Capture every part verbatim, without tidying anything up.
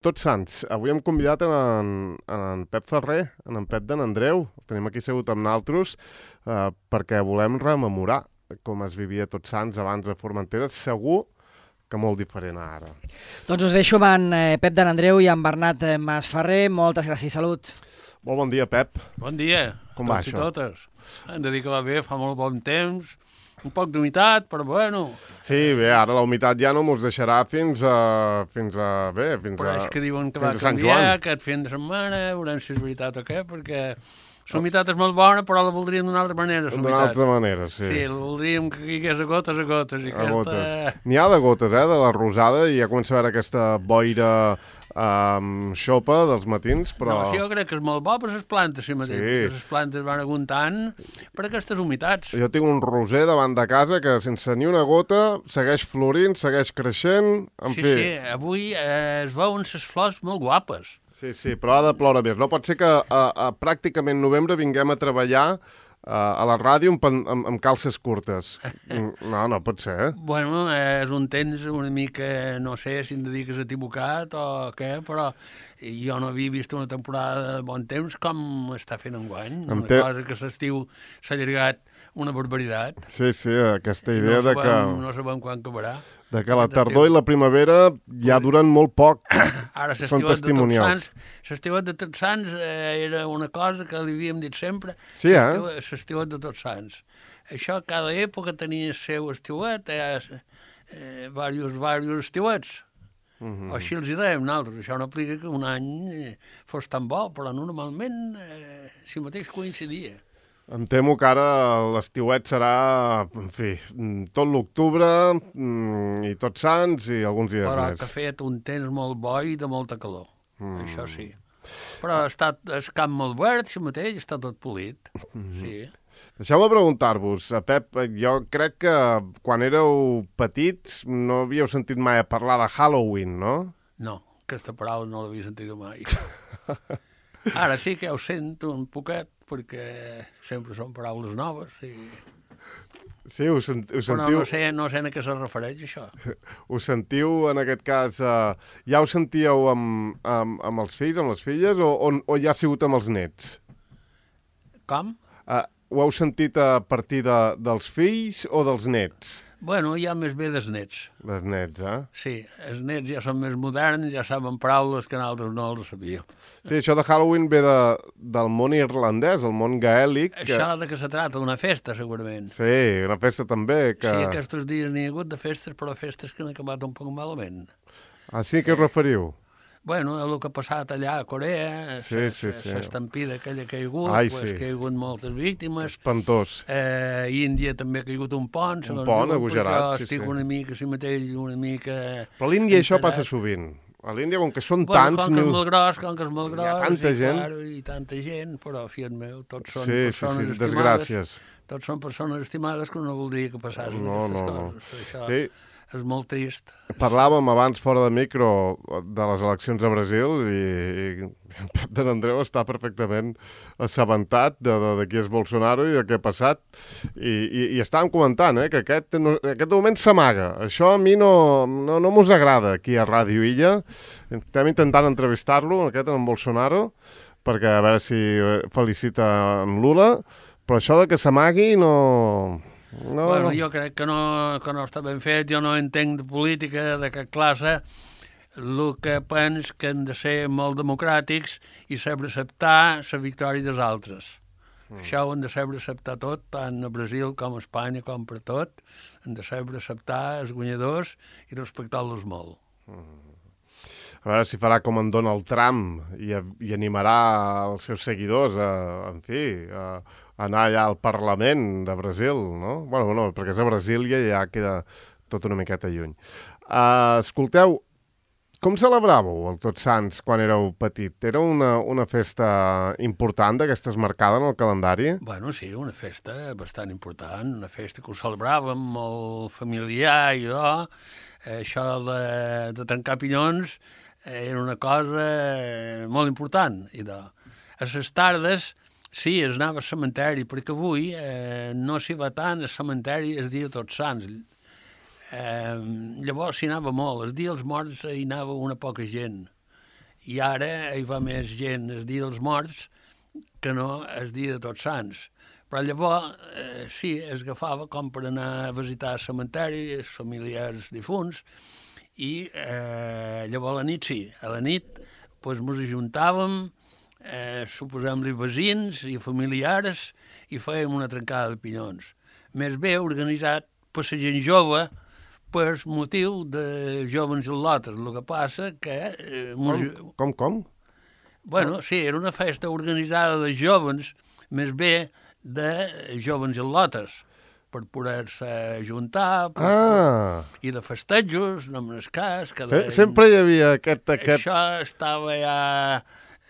Tots Sants, avui hem convidat en, en, en Pep Ferrer, en en Pep d'en Andreu, el tenim aquí segut amb naltros, eh, perquè volem rememorar com es vivia Tots Sants abans de Formentera, segur que molt diferent a ara. Doncs us deixo amb en eh, Pep d'en Andreu i en Bernat eh, Masferrer. Moltes gràcies, salut. Molt bon dia, Pep. Bon dia, Com va tots i això? totes. Hem de dir que va bé, fa molt bon temps, un poc d'humitat, però bueno. Sí, bé, ara la humitat ja no mos deixarà fins a... fins a... bé, fins Però a... és que diuen que fins va a Sant canviar Joan. aquest fin de setmana, veurem si és veritat o què, perquè la humitat és molt bona, però la voldríem d'una altra manera, la D'una humitat. altra manera, sí. Sí, la voldríem que caigués a gotes a gotes. I A aquesta... gotes. N'hi ha de gotes, eh, de la rosada, i ja comença a veure aquesta boira um, xopa dels matins, però... No, sí, jo crec que és molt bo per les plantes, si mateix, Sí. perquè les plantes van aguantant per aquestes humitats. Jo tinc un roser davant de casa que sense ni una gota segueix florint, segueix creixent, en Sí, fi. sí, avui eh, es veuen les flors molt guapes. Sí, sí, però ha de ploure més. No pot ser que a, a pràcticament novembre vinguem a treballar a, a la ràdio amb, pan- amb, amb calces curtes. No, no pot ser, eh? Bueno, és un temps una mica, no sé si em de dir que s'ha equivocat o què, però jo no havia vist una temporada de bon temps com està fent enguany. Em Una té- cosa que l'estiu s'ha allargat una barbaritat. Sí, sí, aquesta I idea no de sabem, que, no sabem quan acabarà. de que la aquest tardor estiu. i la primavera ja duren molt poc. Ara Són l'estiuet de Tots testimonials. Sants, l'estiuet de Tots Sants eh, era una cosa que li havíem dit sempre. Sí, eh? L'estiu- L'estiuet de Tots Sants. Això, cada època tenia el seu estiuet, eh, eh, diversos, diversos estiuets. Mhm. O així els hi dèiem nosaltres. Això no aplica que un any eh, fos tan bo, però normalment eh, si mateix coincidia. Em temo que ara l'estiuet serà, en fi, tot l'octubre mm, i Tots Sants i alguns dies Però més. que ha fet un temps molt bo i de molta calor. Mm. Això sí. Però ha estat el camp molt verd, si mateix està tot polit. Mm. Sí. Deixeu-me preguntar-vos, a Pep, jo crec que quan éreu petits no havíeu sentit mai a parlar de Halloween, no? No, aquesta paraula no l'havia sentit mai. Ara sí que ja ho sento un poquet, perquè sempre són paraules noves. I... Sí, us, sent, us Però sentiu... no sé, no sé a què se refereix, això. Us sentiu, en aquest cas, eh, ja ho sentíeu amb, amb, amb els fills, amb les filles, o, o, o ja ha sigut amb els nets? Com? Eh, ho heu sentit a partir de, dels fills o dels nets? Bueno, ja més bé dels nets. Dels nets, eh? Sí, els nets ja són més moderns, ja saben paraules que nosaltres no els sabíem. Sí, això de Halloween ve de, del món irlandès, el món gaèlic. Que... Això de què se trata, una festa, segurament. Sí, una festa també. Que... Sí, aquests dies n'hi ha hagut de festes, però festes que han acabat un poc malament. Ah, sí, què us referiu? Bueno, el que ha passat allà a Corea, Sí, sí, sí. l'estampida aquella que hi ha hagut, Ai, pues, sí. que hi ha hagut moltes víctimes. Espantós. Eh, Índia també ha caigut un pont, segons pont diuen, agogerat, perquè jo sí, estic sí. una mica, si mateix, una mica... Però a l'Índia això enterat. passa sovint. A l'Índia, com que són Bueno, tants... com que és mil- molt gros, com que és molt Hi ha gros, tanta i, gent. Claro, i tanta gent, però, fiat meu, tots són Sí, sí, persones sí, estimades. desgràcies. Tots són persones estimades que no voldria que passassin No, aquestes no, no. coses. Això Sí, és molt trist. parlàvem abans fora de micro de les eleccions a Brasil i, i en Pep de Andreu està perfectament assabentat de, de, de qui és Bolsonaro i de què ha passat. I, i, i estàvem comentant eh, que aquest, no, aquest moment s'amaga. Això a mi no, no, no mos agrada aquí a Ràdio Illa. Estem intentant entrevistar-lo, aquest en Bolsonaro, perquè a veure si felicita en Lula, però això de que s'amagui no... No, Bueno, no. jo crec que no, que no està ben fet, jo no entenc de política de cap classe, el que penso que han de ser molt democràtics i saber acceptar la victòria dels altres. Mm. Això ho han de saber acceptar tot, tant a Brasil com a Espanya, com per tot. Han de saber acceptar els guanyadors i respectar-los molt. A veure si farà com en Donald Trump i, i animarà els seus seguidors a, en fi, a, a anar allà al Parlament de Brasil, no? Bueno, no, perquè és a Brasília i ja queda tot una miqueta lluny. Uh, escolteu, com celebràveu el Tots Sants quan éreu petit? Era una, una festa important d'aquestes marcada en el calendari? Bueno, sí, una festa bastant important, una festa que ho celebràvem molt familiar i allò. Això de, de trencar pinyons era una cosa molt important. I de, a les tardes, sí, es anava al cementeri, perquè avui eh, no s'hi va tant al cementeri el dia de Tots Sants. Eh, llavors s'hi anava molt. El dia dels morts hi anava una poca gent. i ara hi va més gent el dia dels morts que no el dia de Tots Sants. Però llavors, eh, sí, es agafava com per anar a visitar el cementeri, els familiars difunts, i eh, llavors a la nit sí, a la nit pues, ens ajuntàvem, eh, suposem-li veïns i familiars, i fèiem una trencada de pinyons. Més bé organitzat per la gent jove, per motiu de joves al·lotes. El que passa que... Eh, com, com, com? Bueno, sí, era una festa organitzada de joves, més bé de joves al·lotes, per poder-se ajuntar, per, ah. per, i de festejos, no me'n cas. Que de, sempre hi havia aquest... aquest... Això estava ja,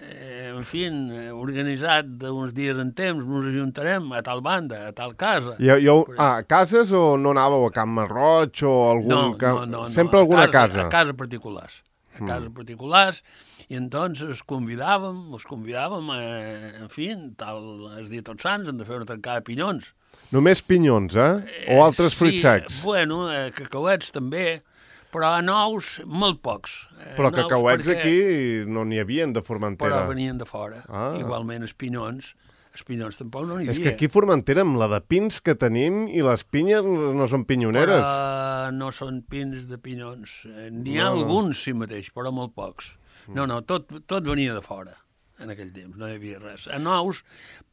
eh, en fi, organitzat d'uns dies en temps, ens ajuntarem a tal banda, a tal casa. I, i, ah, a cases o no anàveu a Camp Marroig o algun... No, camp... no, no, sempre no, alguna a casa. casa. A casa particulars. A casa mm. particulars, i entonces convidàvem, us convidàvem, eh, en fi, tal, el dia Tots Sants, hem de fer una trencada de pinyons. Només pinyons, eh? O altres eh, fruits sí, secs? Bueno, eh, cacauets també, però a nous, molt pocs. Eh, però cacauets perquè... aquí no n'hi havien de Formentera. Però venien de fora. Ah. Igualment els pinyons, els pinyons tampoc no n'hi havia. És que aquí a Formentera, amb la de pins que tenim, i les pinyes no són pinyoneres. Però no són pins de pinyons. N'hi ha no, alguns, no. sí mateix, però molt pocs. No, no, tot, tot venia de fora en aquell temps, no hi havia res. A nous,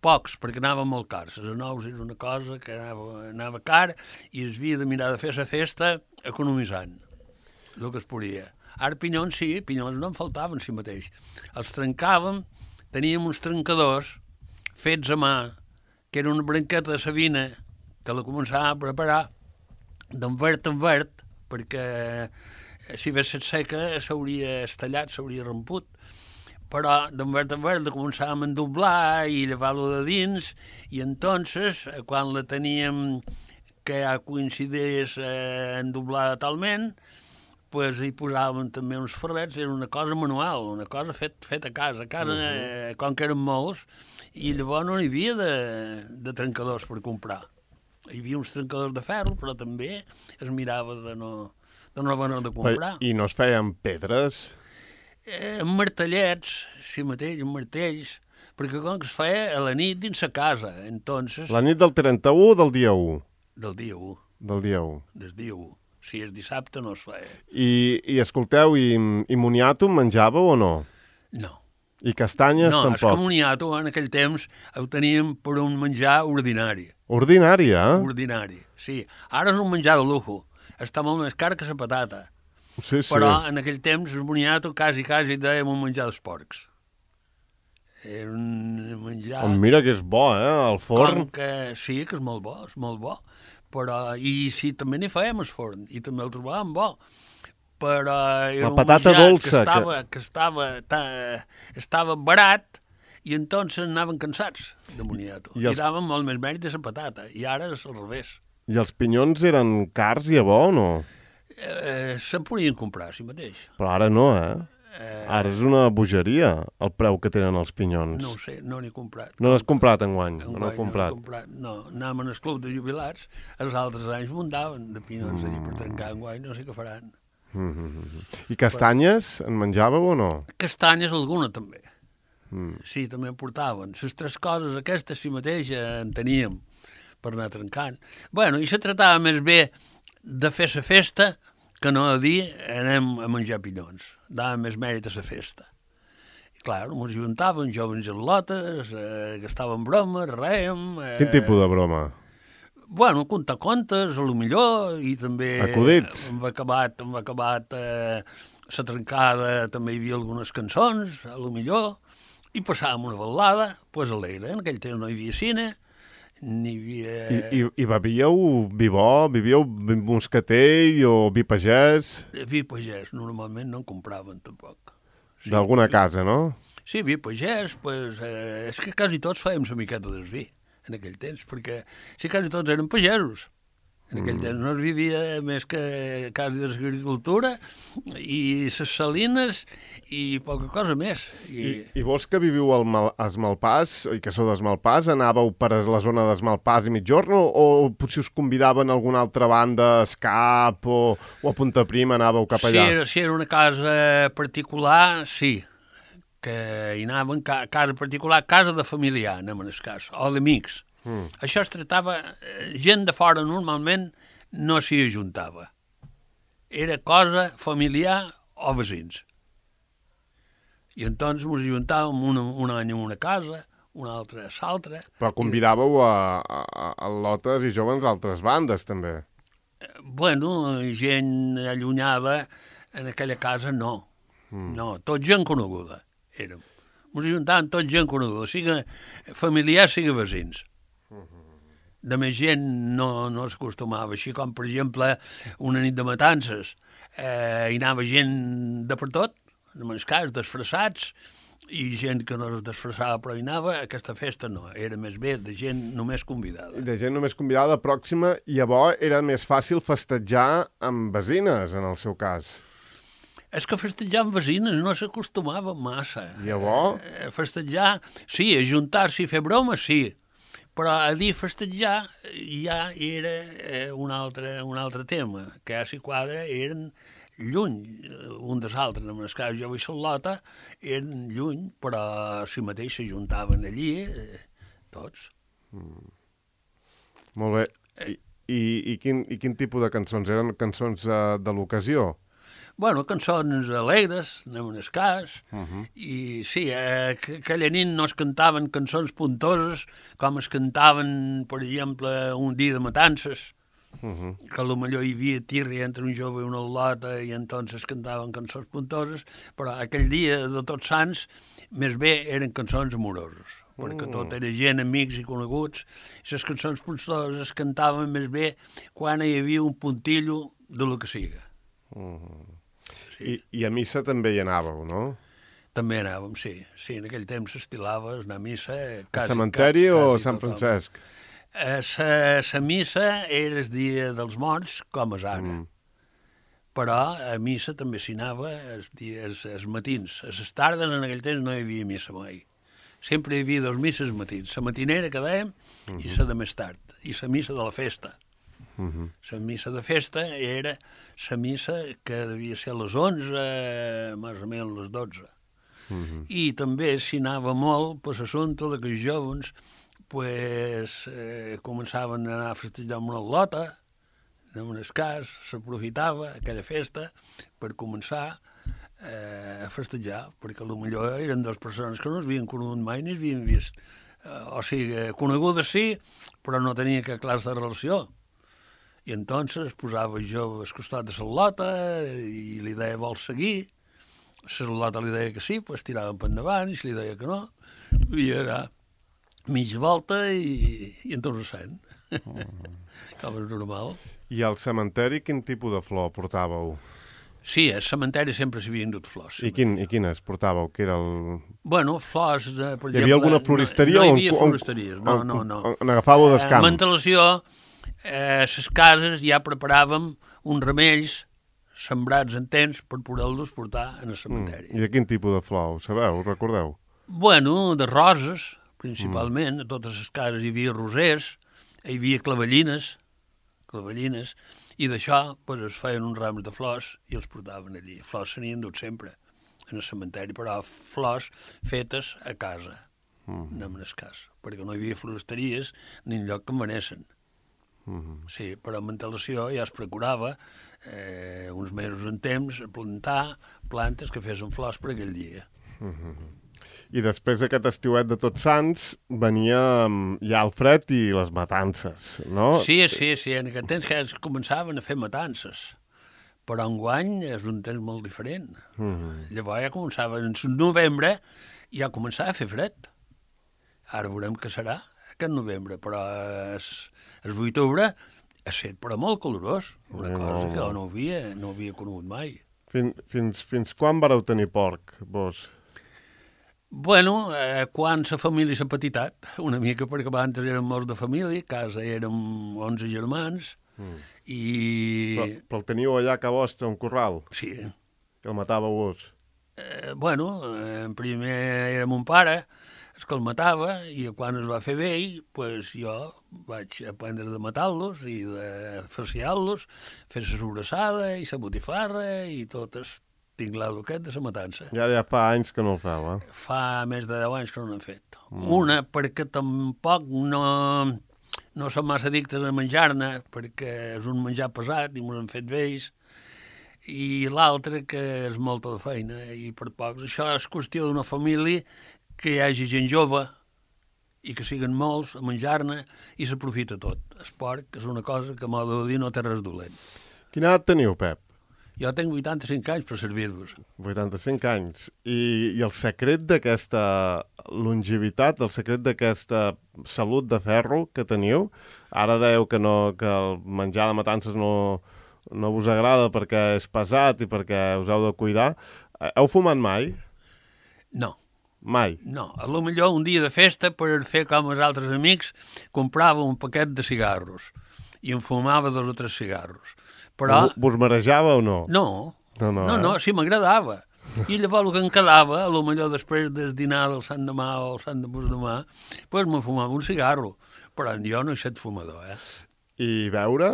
pocs, perquè anaven molt cars. A nous era una cosa que anava, anava car i es havia de mirar de fer la festa economitzant el que es podia. Ara pinyons sí, pinyons no en faltaven si mateix. Els trencàvem, teníem uns trencadors fets a mà, que era una branqueta de sabina que la començàvem a preparar d'en verd en verd, perquè si hagués estat seca s'hauria estallat, s'hauria romput, però d'en verd en verd la començàvem a endoblar i llevar-lo de dins, i entonces, quan la teníem que ja coincidís eh, endoblada talment, pues hi posàvem també uns ferrets, era una cosa manual, una cosa fet, fet a casa. A casa, eh, com que eren molts, i llavors no hi havia de, de trencadors per comprar. Hi havia uns trencadors de ferro, però també es mirava de no, de no haver de comprar. I no es feien pedres? Eh, martellets, sí mateix, martells, perquè com que es feia a la nit dins la casa, entonces... La nit del trenta-u o del dia u? Del dia u. Del dia u. Del dia u. Si és dissabte no es feia. I, i escolteu, i, i moniato menjàveu o no? No. I castanyes no, tampoc? No, és que moniato en aquell temps ho teníem per un menjar ordinari. Ordinari, eh? Ordinari, sí. Ara és un menjar de lujo. Està molt més car que la patata. Sí, sí. Però en aquell temps el moniato quasi, quasi dèiem un menjar dels porcs. Era un menjar... Oh, mira que és bo, eh? Al forn. Com que... Sí, que és molt bo, és molt bo. Però, i sí, també n'hi fèiem al forn, i també el trobàvem bo. Però era la patata un dolça, que estava, que... que estava, ta, estava barat, i entonces anaven cansats de moniato. I, els... I daven molt més mèrit a la patata, i ara és al revés. I els pinyons eren cars i a bo o no? Eh, se'n podien comprar, si mateix. Però ara no, eh? Eh, Ara és una bogeria el preu que tenen els pinyons. No ho sé, no n'he comprat. No n'has comprat enguany? enguany no n'he comprat. No, comprat. No, anàvem al club de jubilats, els altres anys mundaven de pinyons mm. allí per trencar enguany, no sé què faran. Mm -hmm. I castanyes, Però... en menjàveu o no? Castanyes alguna també. Mm. Sí, també en portaven. Les tres coses aquestes si mateix en teníem per anar trencant. Bueno, i se tractava més bé de fer la festa que no a dir anem a menjar pinyons. Dava més mèrit a la festa. I clar, ens juntàvem, joves en lotes, eh, gastàvem bromes, rèiem... Eh, Quin tipus de broma? Bueno, contar contes, a lo millor, i també... Acudits? Hem acabat, hem acabat eh, la trencada, també hi havia algunes cançons, a lo millor, i passàvem una ballada, doncs pues alegre. En aquell temps no hi havia cine, n'hi havia... I, i, I bevíeu vi bo? Vivíeu vi moscatell o vi pagès? Vi pagès, normalment no en compraven tampoc. Sí, d'alguna vi... casa, no? Sí, vi pagès, pues, eh, és que quasi tots fèiem la miqueta del vi en aquell temps, perquè sí, quasi tots eren pagesos. En aquell mm. temps no es vivia més que quasi de l'agricultura i les salines i poca cosa més. I, I, i vos que viviu al Mal, a Esmalpàs, i que sou d'Esmalpàs, anàveu per a la zona d'Esmalpàs i Migjorn o, o potser us convidaven a alguna altra banda, a Escap o, o a Punta Prima, anàveu cap allà? Si era, si era una casa particular, sí. que hi anaven a casa particular, casa de familiar, anem en el cas, o d'amics. Mm. Això es tractava, gent de fora normalment no s'hi ajuntava. Era cosa familiar o veïns. I entonces ens ajuntàvem un, un any en una casa, un altre a l'altra. Però convidàveu a, a, a lotes i joves d'altres bandes, també. Bueno, gent allunyada en aquella casa no. Mm. No, tot gent coneguda érem. Ens ajuntàvem tot gent coneguda, sigui familiar, sigui veïns. De més gent no, no s'acostumava, així com, per exemple, una nit de matances, eh, hi anava gent de per tot, en el cas, disfressats, i gent que no es disfressava però hi anava, aquesta festa no, era més bé de gent només convidada. De gent només convidada, pròxima, i llavors era més fàcil festejar amb veïnes, en el seu cas. És que festejar amb veïnes no s'acostumava massa. Llavors? Eh, festejar, sí, ajuntar-s'hi i fer bromes, sí, però a dir festejar ja era eh, un, altre, un altre tema, que ja s'hi quadra eren lluny un dels altres. En el cas jo i Charlota eren lluny, però si mateix s'ajuntaven allí eh, tots. Mm. Molt bé. I, i, i, quin, I quin tipus de cançons? Eren cançons uh, de l'ocasió? Bueno, cançons alegres, anem en el cas, uh -huh. i sí, eh, aquella nit no es cantaven cançons puntoses com es cantaven, per exemple, un dia de matances, uh -huh. que potser hi havia tirri entre un jove i una lota i entonces cantaven cançons puntoses, però aquell dia de Tots Sants més bé eren cançons amoroses, perquè uh -huh. tot era gent, amics i coneguts, i les cançons puntoses es cantaven més bé quan hi havia un puntillo de lo que siga. Uh -huh. Sí. I, I a missa també hi anàveu, no? També anàvem, sí. Sí, en aquell temps s'estilava anar a missa... A cementeri o a Sant Francesc? La missa era el dia dels morts, com és ara. Mm. Però a missa també s'hi anava els, dies, els matins. A les tardes, en aquell temps, no hi havia missa mai. Sempre hi havia dos misses matins. La matinera, que dèiem, mm-hmm. i la de més tard. I la missa de la festa. La uh-huh. missa de festa era la missa que devia ser a les onze, més o menys les dotze. Uh-huh. I també s'hi anava molt per l'assumpte que els jovens pues, eh, començaven a anar a festejar amb una lota, en un cas, s'aprofitava aquella festa per començar eh, a festejar, perquè potser eren dues persones que no es havien conegut mai ni es havien vist. Eh, o sigui, conegudes sí, però no tenia cap classe de relació. I entonces posava jo al costat de la lota i li deia vols seguir. La lota li deia que sí, pues tiraven per endavant, i si li deia que no, i era mitja volta i, i entonces sent. Mm. Com és normal. I al cementeri quin tipus de flor portàveu? Sí, al cementeri sempre s'hi havien dut flors. I, quin, I quines portàveu? Que era el... Bueno, flors, eh, per exemple... Hi havia alguna floristeria? No, no hi havia floristeries, no, no, no. On agafàveu del camp? A Mantelació, a les cases ja preparàvem uns remells sembrats en temps per poder-los portar en el cementeri. Mm. I de quin tipus de flor, ho sabeu, ho recordeu? Bueno, de roses, principalment. Mm. A totes les cases hi havia rosers, hi havia clavellines, clavellines, i d'això pues, es feien uns rams de flors i els portaven allí. Flors se n'hi dut sempre en el cementeri, però flors fetes a casa, mm. no en el cas, perquè no hi havia floristeries ni enlloc que en venessin. Mm-hmm. Sí, però amb antelació ja es procurava eh, uns mesos en temps plantar plantes que fessin flors per aquell dia. Mm-hmm. I després d'aquest estiuet de Tots Sants venia ja el fred i les matances, no? Sí, sí, sí, en aquest temps que es començaven a fer matances, però enguany és un temps molt diferent. Mm-hmm. Llavors ja començava, en novembre ja començava a fer fred. Ara veurem què serà aquest novembre, però és... El vuit d'octubre ha estat però molt calorós, una no. cosa que no havia, no havia conegut mai. Fins, fins, fins quan vareu tenir porc, vos? Bueno, eh, quan la família s'ha petitat, una mica, perquè abans érem molts de família, a casa érem onze germans, mm. i... Però, però el teniu allà a vostre, un corral? Sí. Que el matàveu vos? Eh, bueno, en primer era mon pare, és que el matava, i quan es va fer vell, pues jo vaig aprendre de matar-los i de farciar-los, fer la sobrassada i la botifarra i tot el tinc l'Aluquet de la Matança. Ja, ja fa anys que no ho feu, eh? Fa més de deu anys que no n'hem fet. Mm. Una, perquè tampoc no, no som massa addictes a menjar-ne, perquè és un menjar pesat i m'ho hem fet vells, i l'altre que és molta de feina, i per pocs. Això és qüestió d'una família que hi hagi gent jove i que siguin molts a menjar-ne i s'aprofita tot. El porc és una cosa que, a modo de dir, no té res dolent. Quina edat teniu, Pep? Jo tinc vuitanta-cinc anys per servir-vos. vuitanta-cinc anys. I, i el secret d'aquesta longevitat, el secret d'aquesta salut de ferro que teniu, ara dèieu que, no, que el menjar de matances no, no vos agrada perquè és pesat i perquè us heu de cuidar. Heu fumat mai? No. Mai? No. A lo millor un dia de festa, per fer com els altres amics, comprava un paquet de cigarros i em fumava dos o tres cigarros. Però... Vos marejava o no? No. No, no, no, eh? no sí, m'agradava. I llavors el que em quedava, a lo millor després del dinar del Sant Demà o el Sant de Demà, pues me fumava un cigarro. Però jo no he estat fumador, eh? I beure?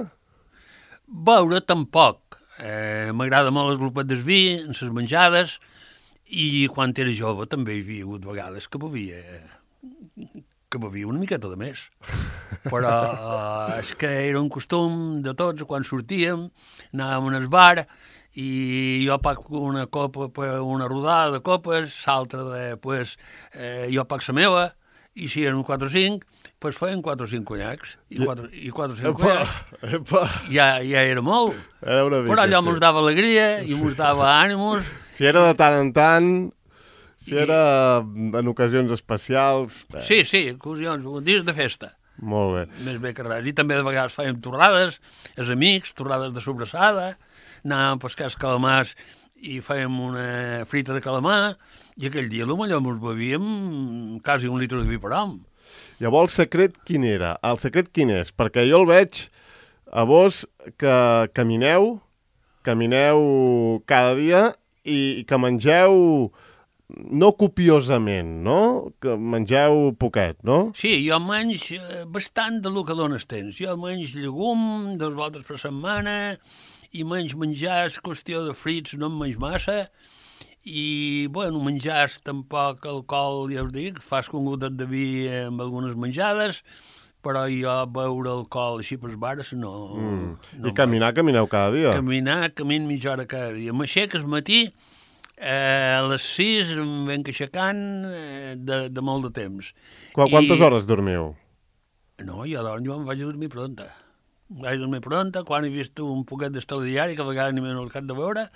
Beure tampoc. Eh, M'agrada molt el glopet del vi, en les menjades, i quan era jove també hi havia hagut vegades que bevia, que bevia una miqueta de més. Però eh, és que era un costum de tots, quan sortíem, anàvem al bar, i jo pac una copa, una rodada de copes, l'altra de, pues, eh, jo pac la meva, i si eren quatre o cinc, pues feien quatre o cinc conyacs, i quatre, i quatre o cinc epa, conyacs. Epa. Ja, ja era molt. Era una mica, però allò sí. mos dava alegria i mos dava ànims. Si era de tant en tant, si I... era en ocasions especials... Bé. Sí, sí, ocasions, dies de festa. Molt bé. Més bé que res. I també de vegades fèiem torrades, els amics, torrades de sobrassada, anàvem a pescar els calamars i fèiem una frita de calamar, i aquell dia potser ens bevíem quasi un litre de vi per home. Llavors, el secret quin era? El secret quin és? Perquè jo el veig a vos que camineu, camineu cada dia i que mengeu no copiosament, no? Que mengeu poquet, no? Sí, jo menys bastant de lo que dones temps. Jo menys llegum dos voltes per setmana i menys menjar és qüestió de frits, no en menys massa. I, bueno, menjars tampoc alcohol, ja us dic, fas un gotet de vi amb algunes menjades, però jo beure alcohol així per bares no... Mm. no I caminar, camineu cada dia? Caminar, camin mitja hora cada dia. M'aixec al matí, eh, a les sis em venc aixecant eh, de, de molt de temps. Qu Quantes I... hores dormiu? No, jo, jo em vaig a dormir pronta. Em vaig a dormir pronta, quan he vist un poquet d'esteladiari, que a vegades ni m'he al de veure,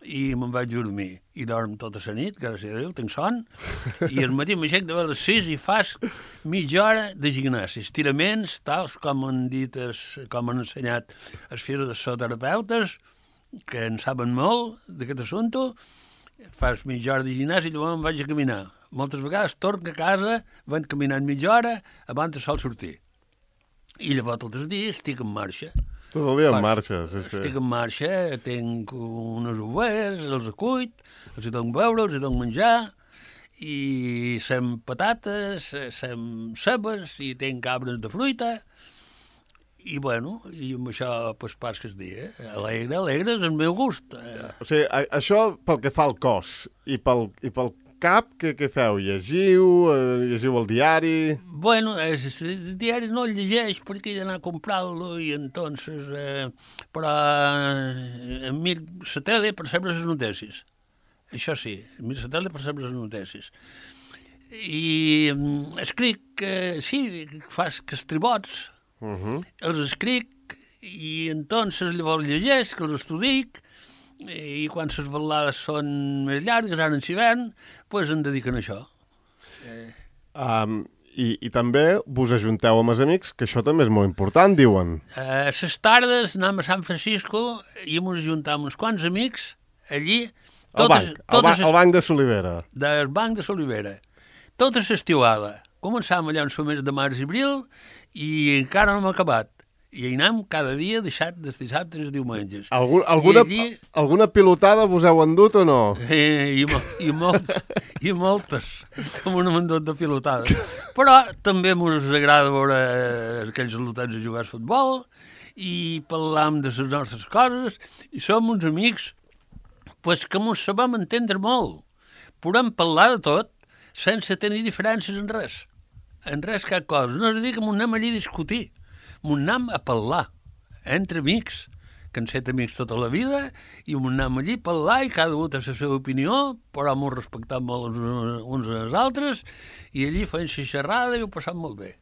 i me'n vaig dormir. I dorm tota la nit, gràcies a Déu, tinc son. I al matí m'aixec de les sis i fas mitja hora de gimnàsia. Estiraments, tals com han dit, es, com han ensenyat els fills de psicoterapeutes, que en saben molt d'aquest assumpte. Fas mitja hora de gimnàsia i llavors em vaig a caminar. Moltes vegades torno a casa, vaig caminant mitja hora abans de sol sortir. I llavors tots els dies estic en marxa. Tot el dia en marxa, sí, sí. Estic en marxa, tinc unes ovelles, els acuit, els hi dono beure, els hi dono menjar, i sem patates, sem cebes, i tinc arbres de fruita, i bueno, i amb això pues, pas que es dia. Alegre, alegre és el meu gust. O sigui, a, això pel que fa al cos, i pel, i pel cap, què, què feu? Llegiu? Eh, llegiu el diari? Bueno, el diari no el llegeix perquè he d'anar a comprar-lo i entonces... Eh, però eh, em mir la tele per saber les notícies. Això sí, em mir la tele per saber les notícies. I eh, escric, eh, sí, fas que estribots, uh -huh. els escric i entonces llavors llegeix, que els estudic, i quan les balades són més llargues, ara en hivern, doncs em dediquen a això. Eh... Um, i, I també vos ajunteu amb els amics, que això també és molt important, diuen. A les tardes anem a San Francisco i ens ajuntem uns quants amics allí. Totes, el banc, el, ba el banc de Solivera. Del banc de Solivera. Tota l'estiuada. Començàvem allà en el mes de març i abril i encara no hem acabat. I hi anem cada dia, deixat dels dissabtes i els diumenges. Algun, alguna, allí... alguna pilotada vos heu endut o no? Eh, i, i, molt, I moltes, com un mandot de pilotades. Però també ens agrada veure aquells lotets a jugar a futbol i parlam de les nostres coses i som uns amics pues que mos sabem entendre molt. Podem parlar de tot sense tenir diferències en res. En res cap cosa. No és a dir que m'ho anem allí a discutir. M'ho anem a parlar entre amics, que han set amics tota la vida, i m'ho anem allí a parlar i cada un té la seva opinió, però m'ho respectem molt uns, uns als altres, i allí fem la xerrada i ho passam molt bé.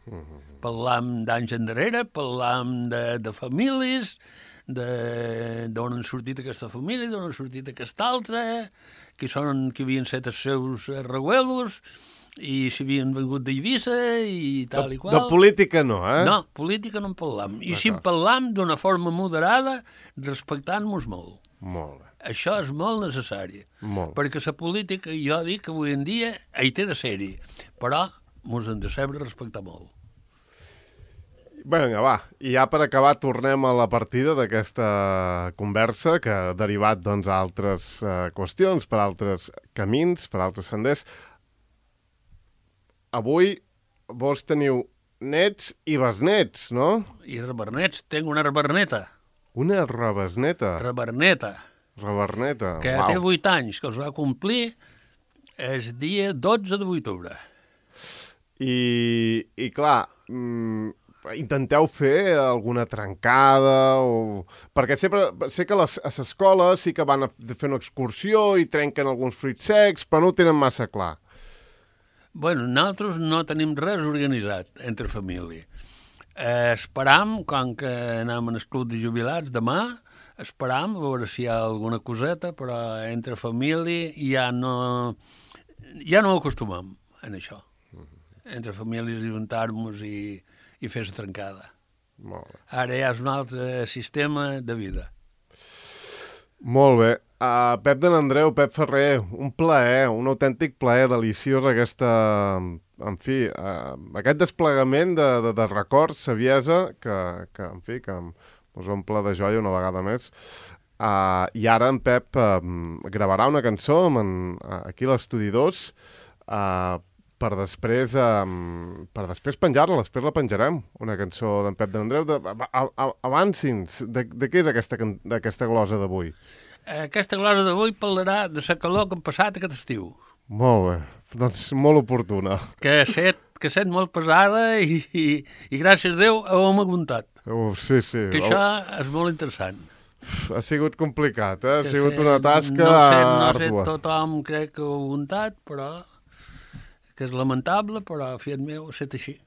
Mm-hmm. Parlam d'anys endarrere, parlam de, de famílies, d'on han sortit aquesta família, d'on han sortit aquesta altra, qui són, qui havien set els seus reguelos, i si havien vengut d'Eivissa i tal de, i qual. De política no, eh? No, política no en parlam. I si en parlam d'una forma moderada, respectant-nos molt. Molt bé. Això és molt necessari. Molt. Perquè la política, jo dic que avui en dia hi té de ser-hi, però mos hem de saber respectar molt. Vinga, va, i ja per acabar tornem a la partida d'aquesta conversa que ha derivat doncs, a altres uh, qüestions, per altres camins, per altres senders. Avui vos teniu nets i besnets, no? I rebernets, tinc una reberneta. Una rebesneta. Reberneta. Reberneta, que uau. té vuit anys, que els va complir el dia dotze de octubre. I, i clar, mm, intenteu fer alguna trencada o... Perquè sempre, sé que les, a l'escola sí que van a fer una excursió i trenquen alguns fruits secs, però no ho tenen massa clar. Bueno, nosaltres no tenim res organitzat entre família. Eh, esperam, com que anem al club de jubilats demà, esperam a veure si hi ha alguna coseta, però entre família ja no, ja no ho acostumem en això. Entre famílies juntar-nos i, i fer la trencada. Molt bé. Ara ja és un altre sistema de vida. Molt bé. Uh, Pep de n'Andreu, Pep Ferrer, un plaer, un autèntic plaer deliciós aquesta, en fi, uh, aquest desplegament de, de, de records, saviesa, que, que en fi, que us omple de joia una vegada més. Uh, I ara en Pep uh, gravarà una cançó amb en, uh, aquí a l'Estudi dos uh, per després, um, per després penjar-la, després la penjarem, una cançó d'en Pep de n'Andreu. De, avanci'ns, de, de què és aquesta, aquesta glosa d'avui? Aquesta glosa d'avui parlarà de la calor que hem passat aquest estiu. Molt bé, doncs molt oportuna. Que ha set, que ha set molt pesada i, i, i gràcies a Déu ho hem aguantat. Uh, sí, sí. Que això és molt interessant. Ha sigut complicat, eh? Ha que sigut set, una tasca no sé, no àrdua. sé, tothom crec que ho ha aguantat, però que és lamentable, però fiat meu, ha estat així.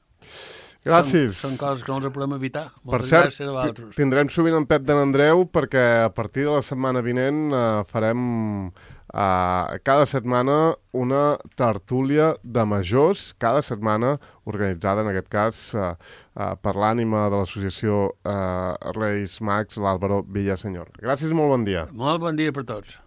Gràcies. Són, són coses que no els podem evitar. Per Moltes cert, gràcies a vosaltres. tindrem sovint en Pep de n'Andreu perquè a partir de la setmana vinent uh, farem uh, cada setmana una tertúlia de majors, cada setmana organitzada en aquest cas uh, uh, per l'ànima de l'associació uh, Reis Mags, l'Àlvaro Villasenyor. Gràcies i molt bon dia. Molt bon dia per tots.